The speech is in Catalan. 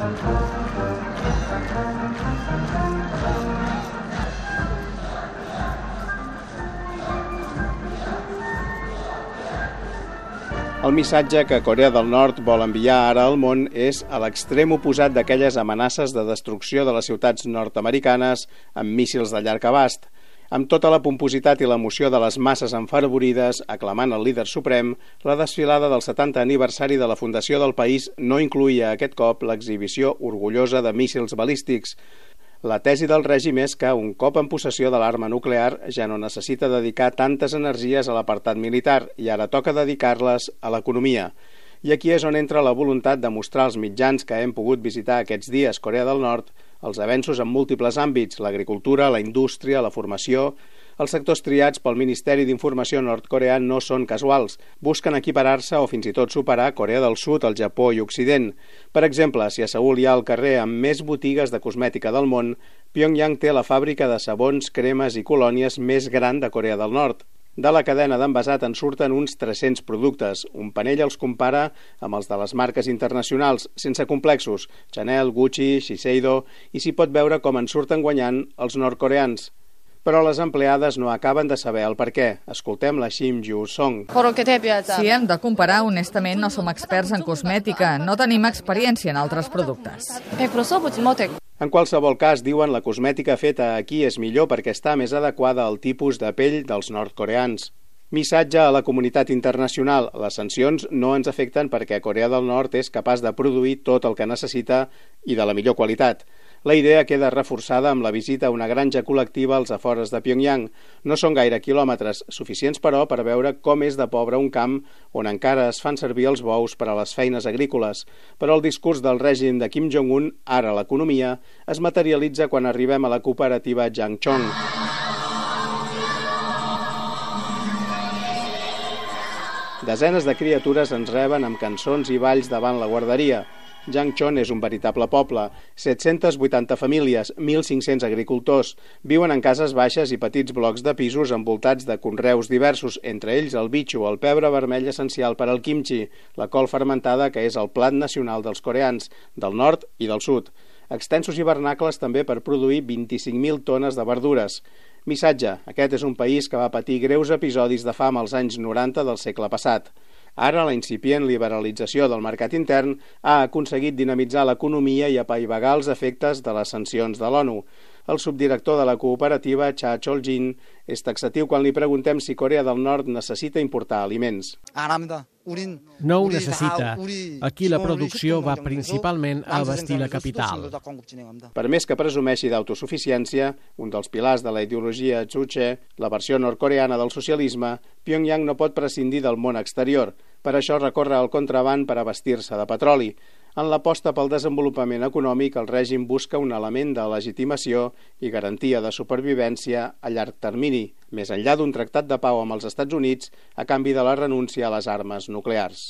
El missatge que Corea del Nord vol enviar ara al món és a l'extrem oposat d'aquelles amenaces de destrucció de les ciutats nord-americanes amb míssils de llarg abast. Amb tota la pompositat i l'emoció de les masses enfervorides, aclamant el líder suprem, la desfilada del 70 aniversari de la fundació del país no incloïa aquest cop l'exhibició orgullosa de míssils balístics. La tesi del règim és que, un cop en possessió de l'arma nuclear, ja no necessita dedicar tantes energies a l'apartat militar i ara toca dedicar-les a l'economia. I aquí és on entra la voluntat de mostrar als mitjans que hem pogut visitar aquests dies Corea del Nord els avenços en múltiples àmbits, l'agricultura, la indústria, la formació. Els sectors triats pel Ministeri d'Informació nord-coreà no són casuals. Busquen equiparar-se o fins i tot superar Corea del Sud, el Japó i Occident. Per exemple, si a Seül hi ha el carrer amb més botigues de cosmètica del món, Pyongyang té la fàbrica de sabons, cremes i colònies més gran de Corea del Nord. De la cadena d'envasat en surten uns 300 productes. Un panell els compara amb els de les marques internacionals, sense complexos, Chanel, Gucci, Shiseido, i s'hi pot veure com en surten guanyant els nord-coreans. Però les empleades no acaben de saber el per què. Escoltem la Shim Ju-song. Si hem de comparar, honestament no som experts en cosmètica, no tenim experiència en altres productes. En qualsevol cas, diuen, la cosmètica feta aquí és millor perquè està més adequada al tipus de pell dels nord-coreans. Missatge a la comunitat internacional. Les sancions no ens afecten perquè Corea del Nord és capaç de produir tot el que necessita i de la millor qualitat. La idea queda reforçada amb la visita a una granja col·lectiva als afores de Pyongyang. No són gaire quilòmetres, suficients però per veure com és de pobre un camp on encara es fan servir els bous per a les feines agrícoles. Però el discurs del règim de Kim Jong-un, ara l'economia, es materialitza quan arribem a la cooperativa Jangchong. Desenes de criatures ens reben amb cançons i balls davant la guarderia. Jangchon és un veritable poble, 780 famílies, 1.500 agricultors. Viuen en cases baixes i petits blocs de pisos envoltats de conreus diversos, entre ells el bitxo, el pebre vermell essencial per al kimchi, la col fermentada que és el plat nacional dels coreans, del nord i del sud. Extensos hivernacles també per produir 25.000 tones de verdures. Missatge: aquest és un país que va patir greus episodis de fam als anys 90 del segle passat. Ara, la incipient liberalització del mercat intern ha aconseguit dinamitzar l'economia i apaivagar els efectes de les sancions de l'ONU. El subdirector de la cooperativa, Cha Chol-jin, és taxatiu quan li preguntem si Corea del Nord necessita importar aliments. No ho necessita. Aquí la producció va principalment a abastir la capital. Per més que presumeixi d'autosuficiència, un dels pilars de la ideologia Juche, la versió nord-coreana del socialisme, Pyongyang no pot prescindir del món exterior. Per això recorre al contraban per abastir-se de petroli. En l'aposta pel desenvolupament econòmic, el règim busca un element de legitimació i garantia de supervivència a llarg termini, més enllà d'un tractat de pau amb els Estats Units a canvi de la renúncia a les armes nuclears.